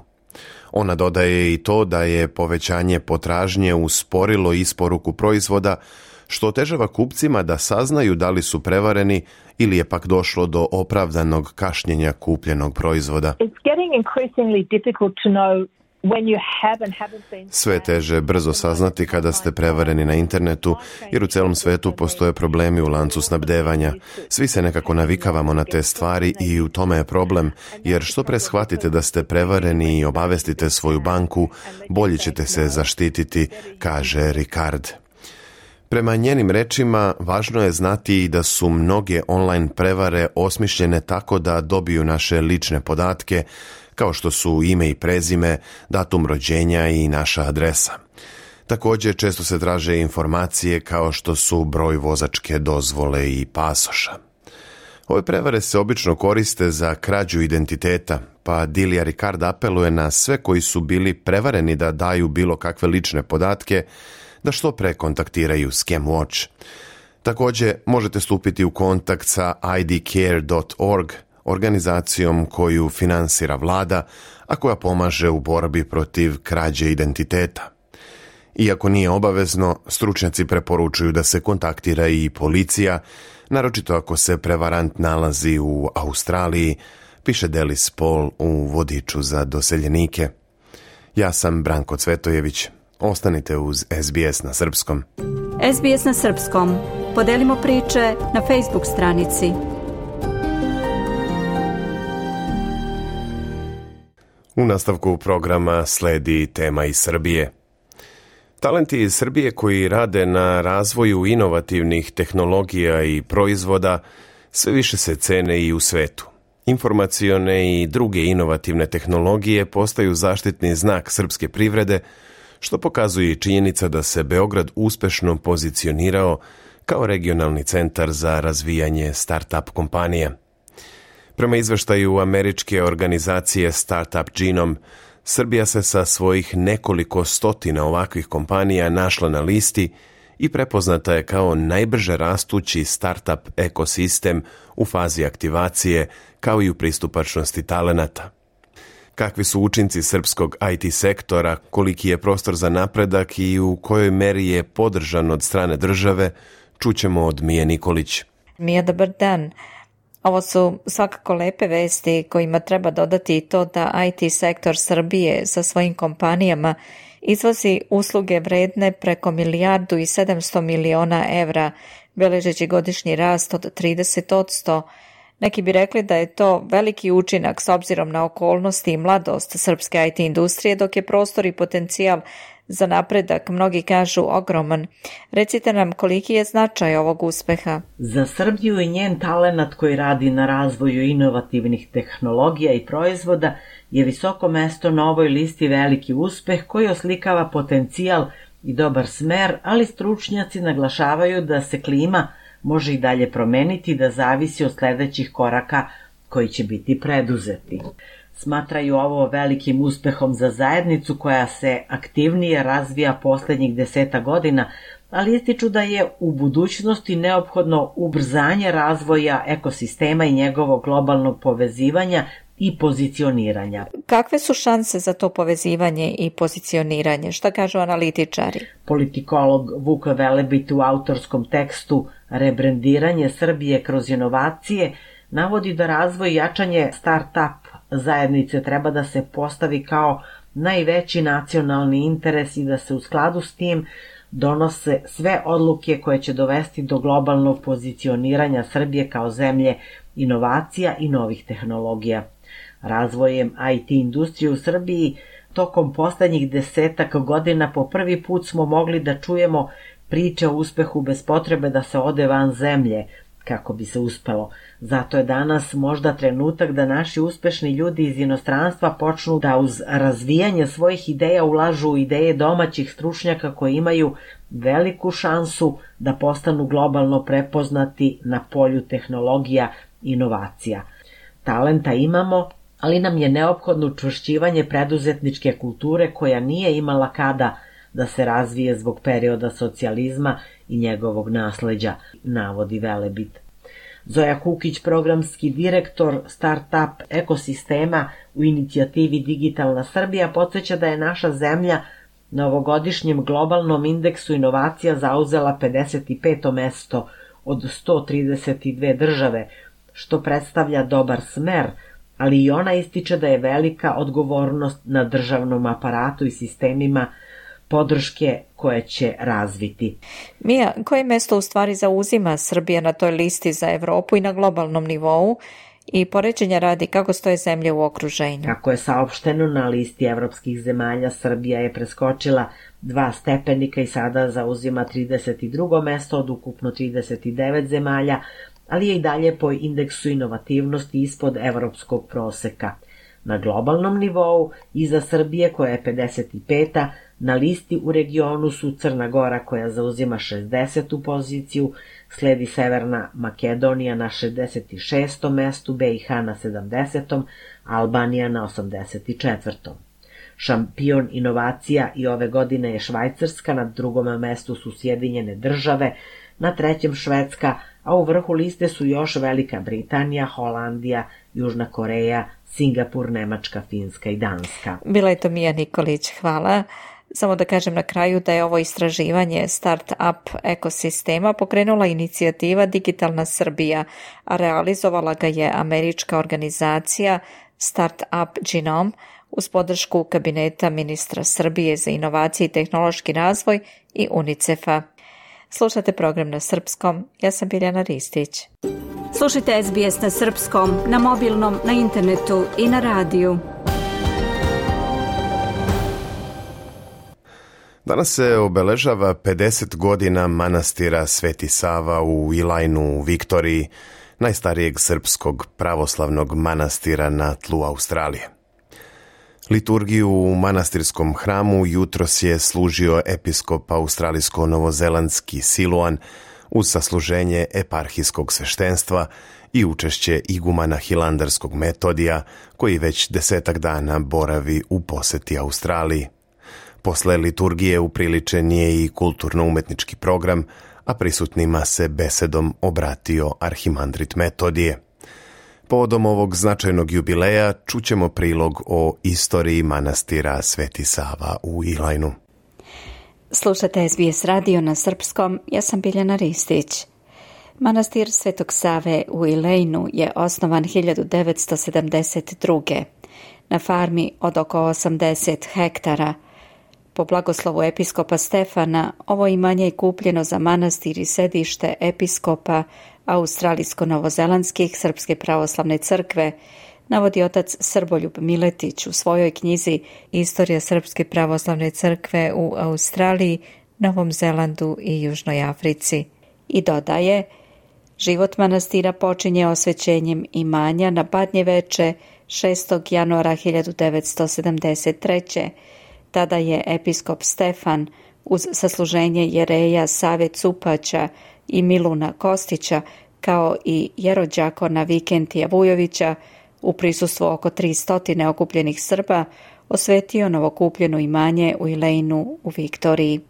Ona dodaje i to da je povećanje potražnje usporilo isporuku proizvoda, što otežava kupcima da saznaju da li su prevareni ili je pak došlo do opravdanog kašnjenja kupljenog proizvoda. Sve je teže brzo saznati kada ste prevareni na internetu, jer u celom svetu postoje problemi u lancu snabdevanja. Svi se nekako navikavamo na te stvari i u tome je problem, jer što pre shvatite da ste prevareni i obavestite svoju banku, bolje ćete se zaštititi, kaže Ricard. Prema njenim rečima, važno je znati i da su mnoge online prevare osmišljene tako da dobiju naše lične podatke, kao što su ime i prezime, datum rođenja i naša adresa. Također često se traže informacije kao što su broj vozačke dozvole i pasoša. Ove prevare se obično koriste za krađu identiteta, pa Delia Ricard apeluje na sve koji su bili prevareni da daju bilo kakve lične podatke, da što pre kontaktiraju Scam Watch. Također možete stupiti u kontakt sa i d care dot org, organizacijom koju finansira vlada, a koja pomaže u borbi protiv krađe identiteta. Iako nije obavezno, stručnjaci preporučuju da se kontaktira i policija, naročito ako se prevarant nalazi u Australiji, piše Delis Paul u vodiču za doseljenike. Ja sam Branko Cvetojević. Ostanite uz S B S na srpskom. S B S na srpskom. Podelimo priče na Facebook stranici. U nastavku programa sledi tema iz Srbije. Talenti iz Srbije koji rade na razvoju inovativnih tehnologija i proizvoda sve više se cene i u svetu. Informacione i druge inovativne tehnologije postaju zaštitni znak srpske privrede, što pokazuje i činjenica da se Beograd uspešno pozicionirao kao regionalni centar za razvijanje start-up kompanija. Prema izveštaju američke organizacije Startup Genome, Srbija se sa svojih nekoliko stotina ovakvih kompanija našla na listi i prepoznata je kao najbrže rastući startup ekosistem u fazi aktivacije, kao i u pristupačnosti talenata. Kakvi su učinci srpskog I T sektora, koliki je prostor za napredak i u kojoj meri je podržan od strane države, čućemo od Mije Nikolić. Mija, dobar dan. Ovo su svakako lepe vesti kojima treba dodati i to da I T sektor Srbije sa svojim kompanijama izvozi usluge vredne preko milijardu i sedamsto miliona evra, beležeći godišnji rast od trideset posto. Neki bi rekli da je to veliki učinak s obzirom na okolnosti i mladost srpske I T industrije, dok je prostor i potencijal za napredak, mnogi kažu, ogroman. Recite nam koliki je značaj ovog uspeha. Za Srbiju i njen talenat koji radi na razvoju inovativnih tehnologija i proizvoda je visoko mesto na ovoj listi veliki uspeh koji oslikava potencijal i dobar smer, ali stručnjaci naglašavaju da se klima može i dalje promeniti, da zavisi od sledećih koraka koji će biti preduzeti. Smatraju ovo velikim uspehom za zajednicu koja se aktivnije razvija poslednjih deseta godina, ali ističu da je u budućnosti neophodno ubrzanje razvoja ekosistema i njegovog globalnog povezivanja i pozicioniranja. Kakve su šanse za to povezivanje i pozicioniranje? Šta kažu analitičari? Politikolog Vuk Velebit u autorskom tekstu Rebrendiranje Srbije kroz inovacije navodi da razvoj i jačanje start-up zajednice treba da se postavi kao najveći nacionalni interes i da se u skladu s tim donose sve odluke koje će dovesti do globalnog pozicioniranja Srbije kao zemlje inovacija i novih tehnologija. Razvojem I T industrije u Srbiji tokom poslednjih desetak godina po prvi put smo mogli da čujemo priče o uspehu bez potrebe da se ode van zemlje kako bi se uspelo. Zato je danas možda trenutak da naši uspešni ljudi iz inostranstva počnu da uz razvijanje svojih ideja ulažu u ideje domaćih stručnjaka koji imaju veliku šansu da postanu globalno prepoznati na polju tehnologija i inovacija. Talenta imamo, ali nam je neophodno učvršćivanje preduzetničke kulture koja nije imala kada da se razvije zbog perioda socijalizma i njegovog nasleđa, navodi Velebit. Zoja Kukić, programski direktor start-up ekosistema u inicijativi Digitalna Srbija, podsjeća da je naša zemlja na ovogodišnjem globalnom indeksu inovacija zauzela pedeset peto mesto od sto trideset dve države, što predstavlja dobar smer, ali i ona ističe da je velika odgovornost na državnom aparatu i sistemima podrške koje će razviti. Mija, koje mesto u stvari zauzima Srbija na toj listi za Evropu i na globalnom nivou i poređenja radi kako stoje zemlje u okruženju? Kako je saopšteno, na listi evropskih zemalja Srbija je preskočila dva stepenika i sada zauzima trideset drugo mesto od ukupno trideset devet zemalja, ali je i dalje po indeksu inovativnosti ispod evropskog proseka. Na globalnom nivou, iza Srbije koja je pedeset peta, na listi u regionu su Crna Gora koja zauzima šezdesetu poziciju, sledi Severna Makedonija na šezdeset šestom mestu, B i H na sedamdesetom, Albanija na osamdeset četvrtom Šampion inovacija i ove godine je Švajcarska, na drugom mestu su Sjedinjene države, na trećem Švedska, a u vrhu liste su još Velika Britanija, Holandija, Južna Koreja, Singapur, Nemačka, Finska i Danska. Bila je to Mija Nikolić, hvala. Samo da kažem na kraju da je ovo istraživanje start-up ekosistema pokrenula inicijativa Digitalna Srbija, a realizovala ga je američka organizacija Start-up Genome uz podršku kabineta ministra Srbije za inovacije i tehnološki razvoj i UNICEF-a. Slušate program na srpskom, ja sam Biljana Ristić. Slušajte S B S na srpskom, na mobilnom, na internetu i na radiju. Danas se obeležava pedeset godina manastira Sveti Sava u Ilajnu u Viktoriji, najstarijeg srpskog pravoslavnog manastira na tlu Australije. Liturgiju u manastirskom hramu jutros je služio episkop australijsko-novozelandski Siluan uz sasluženje eparhijskog sveštenstva i učešće igumana hilandarskog Metodija, koji već desetak dana boravi u poseti Australiji. Posle liturgije upriličen je i kulturno-umetnički program, a prisutnima se besedom obratio arhimandrit Metodije. Povodom ovog značajnog jubileja čućemo prilog o istoriji manastira Sveti Sava u Ilajnu. Slušate S B S radio na srpskom, ja sam Biljana Ristić. Manastir Svetog Save u Ilajnu je osnovan hiljadu devetsto sedamdeset druge. na farmi od oko osamdeset hektara. Po blagoslovu episkopa Stefana, ovo imanje je kupljeno za manastir i sedište episkopa australijsko-novozelandskih Srpske pravoslavne crkve, navodi otac Srboljub Miletić u svojoj knjizi Istorija Srpske pravoslavne crkve u Australiji, Novom Zelandu i Južnoj Africi. I dodaje, život manastira počinje osvećenjem imanja na Badnje veče šestog januara hiljadu devetsto sedamdeset treće. Tada je episkop Stefan uz sasluženje jereja Save Cupaća i Miluna Kostića kao i jerođakona Vikentija Vujovića u prisustvu oko tristo okupljenih Srba osvetio novokupljeno imanje u Ilejnu u Viktoriji.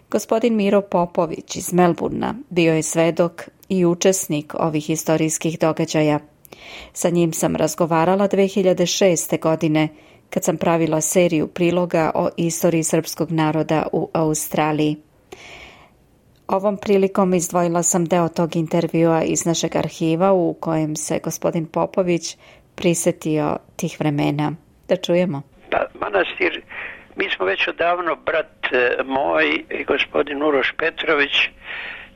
Gospodin Miro Popović iz Melburna bio je svedok i učesnik ovih historijskih događaja. Sa njim sam razgovarala dve hiljade šeste. godine kad sam pravila seriju priloga o istoriji srpskog naroda u Australiji. Ovom prilikom izdvojila sam deo tog intervjua iz našeg arhiva u kojem se gospodin Popović prisetio tih vremena. Da čujemo. Pa, manastir, mi smo već odavno, brat moj i gospodin Uroš Petrović,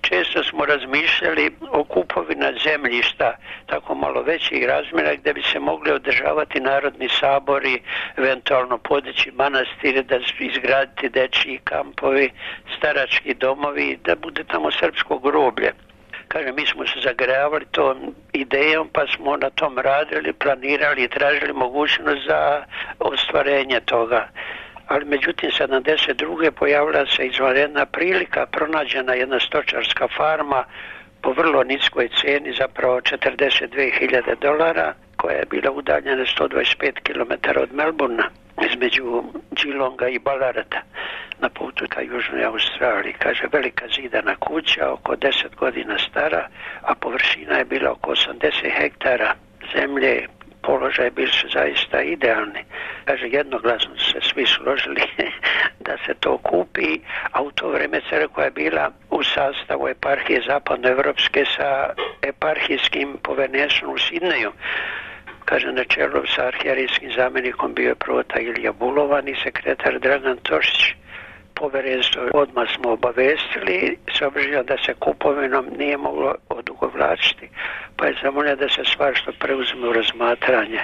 često smo razmišljali o kupovina zemljišta tako malo većih razmjera gdje bi se mogli održavati narodni sabori, eventualno podići manastire, da izgraditi dečji kampovi, starački domovi, da bude tamo srpsko groblje. Kaže, mi smo se zagrejavali tom idejom, pa smo na tom radili, planirali i tražili mogućnost za ostvarenje toga. Ali međutim sedamdeset druge pojavila se izvanredna prilika, pronađena jedna stočarska farma po vrlo niskoj cijeni, zapravo četrdeset dvije hiljade dolara, koja je bila udaljena sto dvadeset pet kilometara od Melburna, između Geelonga i Ballarata, na putu ka Južnoj Australiji. Kaže, velika zidana kuća, oko deset godina stara, a površina je bila oko osamdeset hektara zemlje. Položaj bili su zaista idealni. Kaže, jednoglasno su se svi složili da se to kupi, a u to vrijeme crkva je bila u sastavu eparhije zapadnoevropske sa eparhijskim povenesom u Sidneju. Kaže, na čelu sa arhijerijskim zamjenikom bio je prota Ilija Bulovan i sekretar Dragan Tošić. Povjerenstvo odmah smo obavestili, s obzirom da se kupovinom nije moglo odugovlačiti, pa je zamolio da se stvar što preuzme u razmatranje.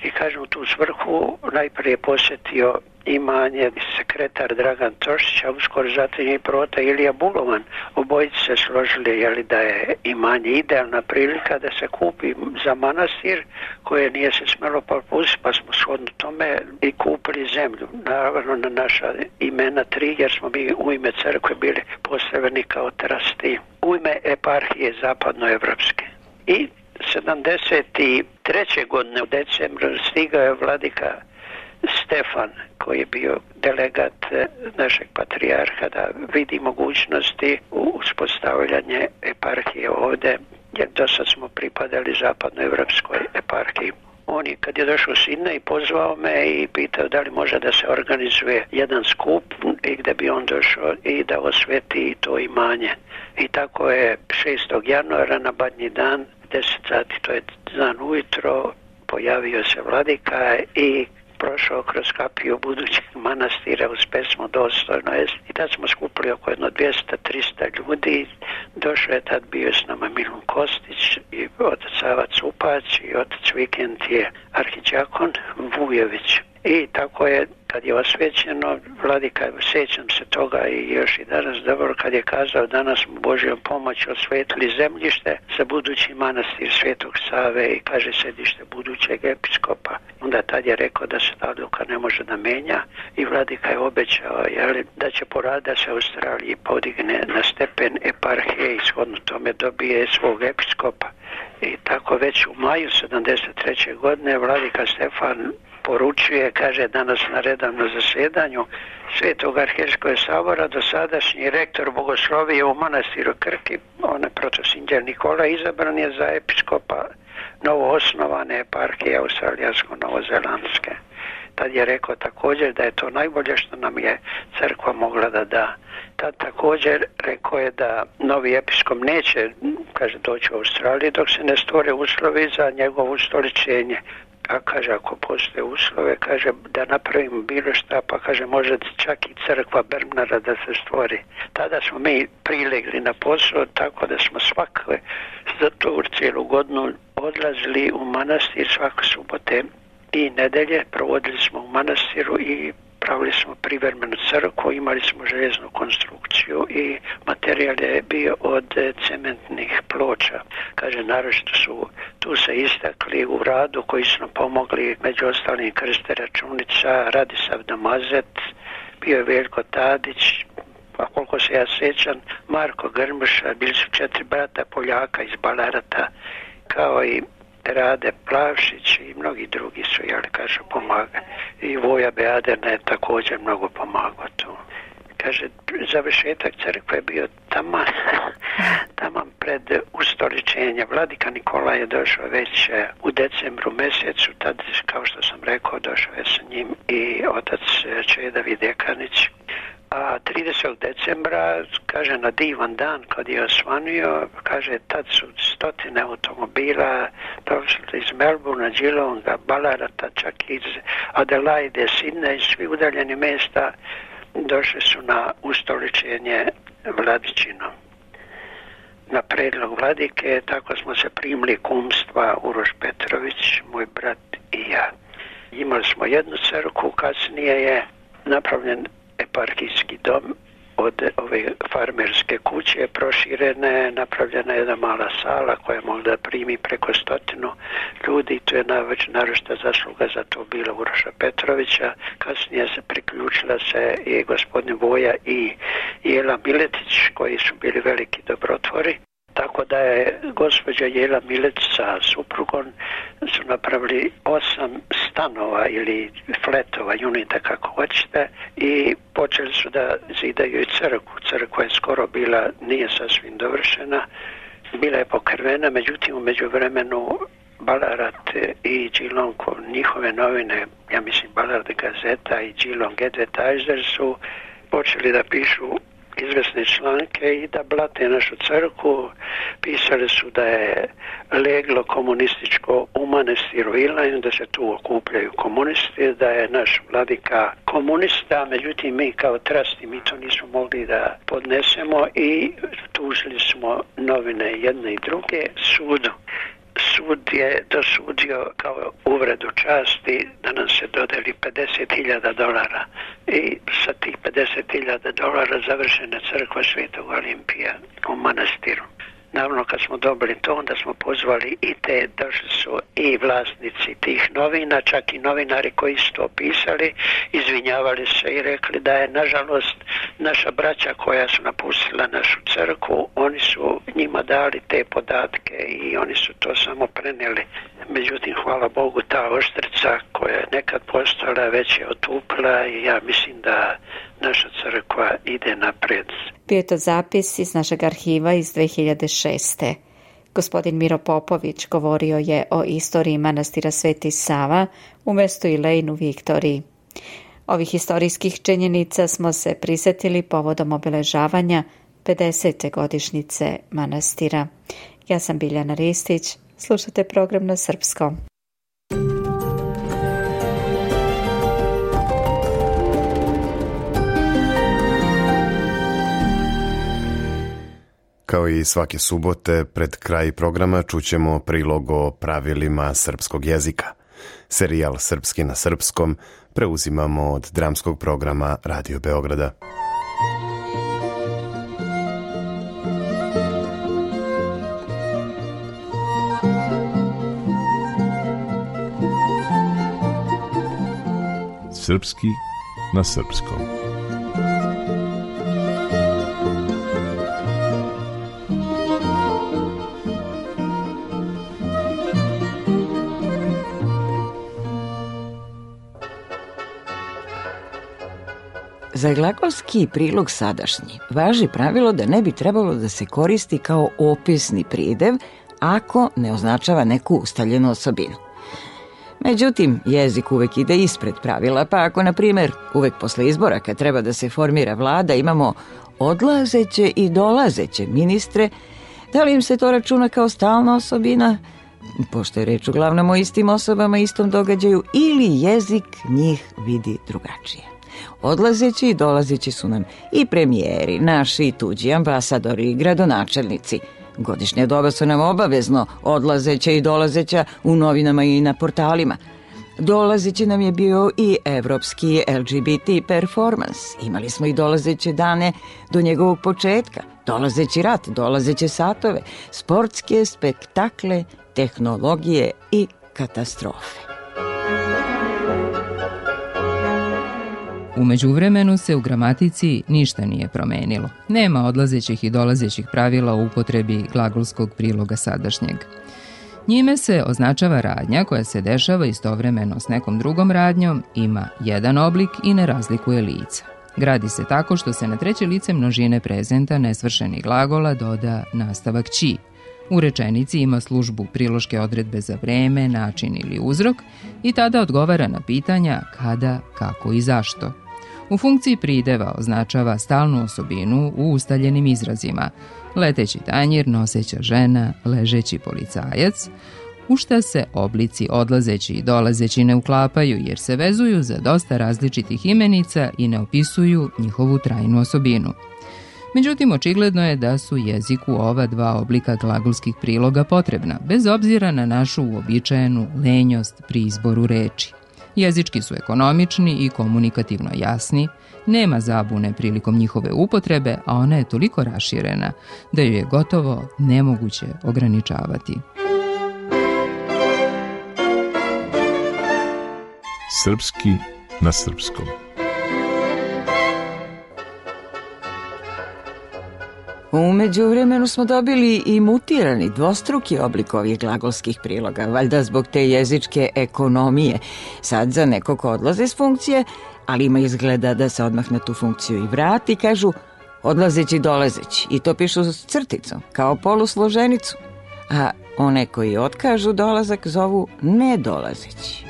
I kažem, u tu svrhu najprije posjetio imanje sekretar Dragan Tošić, a uskoro zatim i prota Ilija Bulovan. Obojici se složili jeli, da je imanje idealna prilika da se kupi za manastir koje nije se smjelo propustiti, pa smo shodno tome i kupili zemlju. Naravno na naša imena tri, jer smo mi u ime crkve bili postavljeni kao trasti. U ime eparhije zapadnoevropske. I sedamdeset treće godine u decembru stigao je vladika Stefan, koji je bio delegat našeg patrijarha, da vidi mogućnosti u uspostavljanje eparhije ovdje, jer do sad smo pripadali zapadnoevropskoj eparhiji. On je, kad je došao u Sidnej, pozvao me i pitao da li može da se organizuje jedan skup i gdje bi on došao i da osveti to imanje. I tako je šestog januara na Badnji dan, deset sati, to je dan ujutro, pojavio se vladika i prošao kroz kapiju budućeg manastira uz pesmu Dostojno jest. I tad smo skupili oko jedno dvjesto do trista ljudi. Došao je tad, bio s nama Milun Kostić i otac Sava Cupać i otac Vikend je arhidjakon Vujević. I tako je, kad je osvećeno, vladika, sjećam se toga i još i danas dobro, kad je kazao danas smo Božjom pomoć osvetili zemljište za budući manastir Svetog Save i kaže sedište budućeg episkopa. Onda tad je rekao da se ta odluka ne može da menja i vladika je obećao jeli, da će poraditi da se Australiji podigne na stepen eparhije i shodno tome dobije svog episkopa. I tako već u maju sedamdeset treće godine vladika Stefan poručuje, kaže danas na redovnom zasjedanju Svetog arhijeskog sabora dosadašnji rektor bogoslovije u manastiru Krki, on je protosinđer Nikola, izabran je za episkopa novoosnovane eparhije australijansko-novozelandske. Tad je rekao također da je to najbolje što nam je crkva mogla da da. Tad također rekao je da novi episkop neće, kaže, doći u Australiji dok se ne stvore uslovi za njegovo ustoličenje. A kaže, ako postoje uslove, kaže, da napravimo bilo šta, pa kaže, može čak i crkva Bermnara da se stvori. Tada smo mi prilegli na posao, tako da smo svakve za to cijelu godinu odlazili u manastir svake subote i nedelje, provodili smo u manastiru i pravili smo privremenu crkvu, imali smo željeznu konstrukciju i materijal je bio od cementnih ploča. Kaže, naročito su tu se istakli u radu koji su nam pomogli, među ostalim Krste Računica, Radisav Damazet, bio je Veljko Tadić, a koliko se ja sjećam, Marko Grmša, bili su četiri brata Poljaka iz Balarata, kao i Rade Plavšić i mnogi drugi su, jel, kaže, pomagali. I Voja Beadena je također mnogo pomagao tu. Kaže, završetak crkve je bio taman, taman pred ustoličenje. Vladika Nikola je došao već u decembru mjesecu, tad, kao što sam rekao, došao je sa njim i otac Čeda Videkanić. A tridesetog decembra, kaže, na divan dan kad je osvanio, kaže, tad su stotine automobila došli iz Melbourna, Geelonga, Balarata, čak iz Adelaide, Sidneja i svi udaljeni mjesta došli su na ustoličenje vladičinom. Na predlog vladike, tako smo se primili kumstva Uroš Petrović, moj brat i ja. Imali smo jednu crkvu, kasnije je napravljen eparhijski dom od ove farmerske kuće, proširena je, napravljena je jedna mala sala koja je mogla da primi preko stotinu ljudi. To je najveća naročita zasluga za to bila Uroša Petrovića. Kasnije se priključila se i gospodin Voja i Jela Miletić, koji su bili veliki dobrotvori. Tako da je gospođa Jela Milec sa suprugom su napravili osam stanova ili fletova, unita kako hoćete, i počeli su da zidaju i crkvu. Crkva je skoro bila, nije sasvim dovršena, bila je pokrvena, međutim u međuvremenu Ballarat i Geelong, njihove novine, ja mislim Ballarat Gazeta i Geelong Advertiser su počeli da pišu izvesne članke i da blate našu crkvu. Pisali su da je leglo komunističko u manastiru Ilajn, da se tu okupljaju komunisti, da je naš vladika komunista, međutim mi kao trasti mi to nismo mogli da podnesemo i tužili smo novine jedne i druge sudu. Sud je dosudio kao uvredu časti da nam se dodeli pedeset hiljada dolara i sa tih pedeset hiljada dolara završena crkva Svetog Olimpija u manastiru. Naravno, kad smo dobili to, onda smo pozvali i te, došli su i vlasnici tih novina, čak i novinari koji su to pisali, izvinjavali se i rekli da je, nažalost, naša braća koja su napustila našu crkvu, oni su njima dali te podatke i oni su to samo prenijeli. međutim, hvala Bogu, ta oštrica koja je nekad postojala već je otupila i ja mislim da naša crkva ide napred. Bio je to zapis iz našeg arhiva iz dve hiljade šeste. Gospodin Miro Popović govorio je o istoriji manastira Sveti Sava umjesto Ilejnu Viktoriji. Ovih historijskih činjenica smo se prisjetili povodom obeležavanja pedesete godišnjice manastira. Ja sam Biljana Ristić, slušate program na srpskom. Kao i svake subote, pred kraj programa čućemo prilog o pravilima srpskog jezika. Serijal Srpski na srpskom preuzimamo od dramskog programa Radio Beograda. Srpski na srpskom. Za glagolski prilog sadašnji važi pravilo da ne bi trebalo da se koristi kao opisni pridev ako ne označava neku ustaljenu osobinu. Međutim, jezik uvek ide ispred pravila, pa ako, na primjer, uvek posle izbora kad treba da se formira vlada imamo odlazeće i dolazeće ministre, da li im se to računa kao stalna osobina, pošto je reč uglavnom o istim osobama, istom događaju, ili jezik njih vidi drugačije. Odlazeći i dolazeći su nam i premijeri, naši i tuđi, ambasadori i gradonačelnici. Godišnje doba su nam obavezno odlazeća i dolazeća u novinama i na portalima. Dolazeći nam je bio i evropski L G B T performans. Imali smo i dolazeće dane do njegovog početka, dolazeći rat, dolazeće satove, sportske spektakle, tehnologije i katastrofe. U međuvremenu se u gramatici ništa nije promenilo. Nema odlazećih i dolazećih pravila u upotrebi glagolskog priloga sadašnjeg. Njime se označava radnja koja se dešava istovremeno s nekom drugom radnjom, ima jedan oblik i ne razlikuje lica. Gradi se tako što se na treće lice množine prezenta nesvršenih glagola doda nastavak ći. U rečenici ima službu priloške odredbe za vreme, način ili uzrok i tada odgovara na pitanja kada, kako i zašto. U funkciji prideva označava stalnu osobinu u ustaljenim izrazima: leteći tanjir, noseća žena, ležeći policajac, u šta se oblici odlazeći i dolazeći ne uklapaju jer se vezuju za dosta različitih imenica i ne opisuju njihovu trajnu osobinu. Međutim, očigledno je da su jeziku ova dva oblika glagolskih priloga potrebna, bez obzira na našu uobičajenu lenjost pri izboru reči. Jezički su ekonomični i komunikativno jasni, nema zabune prilikom njihove upotrebe, a ona je toliko raširena da ju je gotovo nemoguće ograničavati. Srpski na srpskom. U međuvremenu smo dobili i mutirani dvostruki oblik ovih glagolskih priloga, valjda zbog te jezičke ekonomije. Sad za neko ko odlaze s funkcije, ali ima izgleda da se odmah na tu funkciju i vrati, kažu odlazeći, dolazeći, i to pišu s crticom, kao polusloženicu. A one koji otkažu dolazak zovu nedolazeći.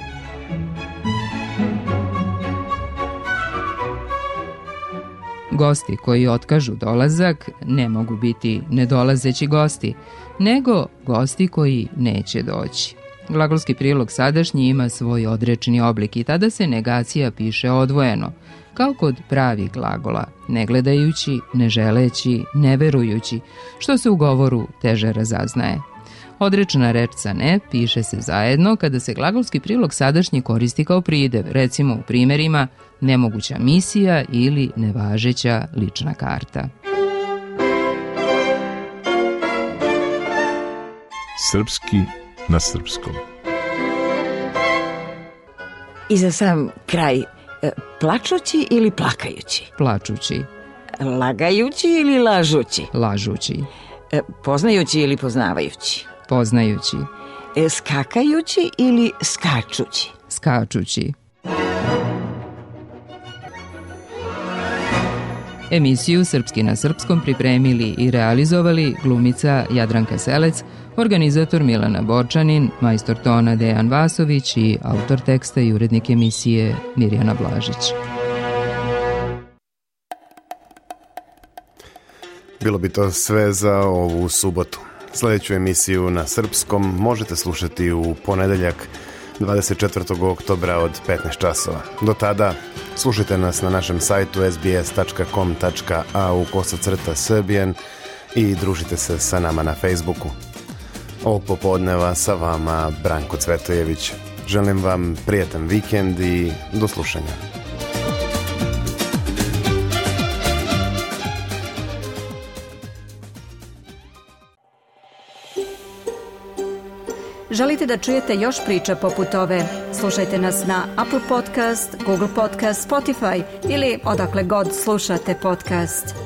Gosti koji otkažu dolazak ne mogu biti nedolazeći gosti, nego gosti koji neće doći. Glagolski prilog sadašnji ima svoj odrečni oblik i tada se negacija piše odvojeno, kao kod pravih glagola, ne gledajući, ne želeći, ne verujući, što se u govoru teže razaznaje. Odrečna reč sa ne piše se zajedno kada se glagolski prilog sadašnji koristi kao pridev, recimo u primjerima nemoguća misija ili nevažeća lična karta. Srpski na srpskom. I za sam kraj, plačući ili plakajući? Plačući. Lagajući ili lažući? Lažući. Poznajući ili poznavajući? Poznajući. skakajući ili skačući? Skačući. Emisiju Srpski na srpskom pripremili i realizovali glumica Jadranka Selec, organizator Milana Borčanin, majstor tona Dejan Vasović i autor teksta i urednik emisije Mirjana Blažić. Bilo bi to sve za ovu subotu. Sljedeću emisiju na srpskom možete slušati u ponedeljak dvadeset četvrtog oktobra od petnaest časova. Do tada slušajte nas na našem sajtu es bi es tačka com tačka a u kosacrta srbijan i družite se sa nama na Facebooku. Ovog popodneva sa vama Branko Cvetojević. Želim vam prijatan vikend i do slušanja. Želite da čujete još priča poput ove? Slušajte nas na Apple Podcast, Google Podcast, Spotify ili odakle god slušate podcast.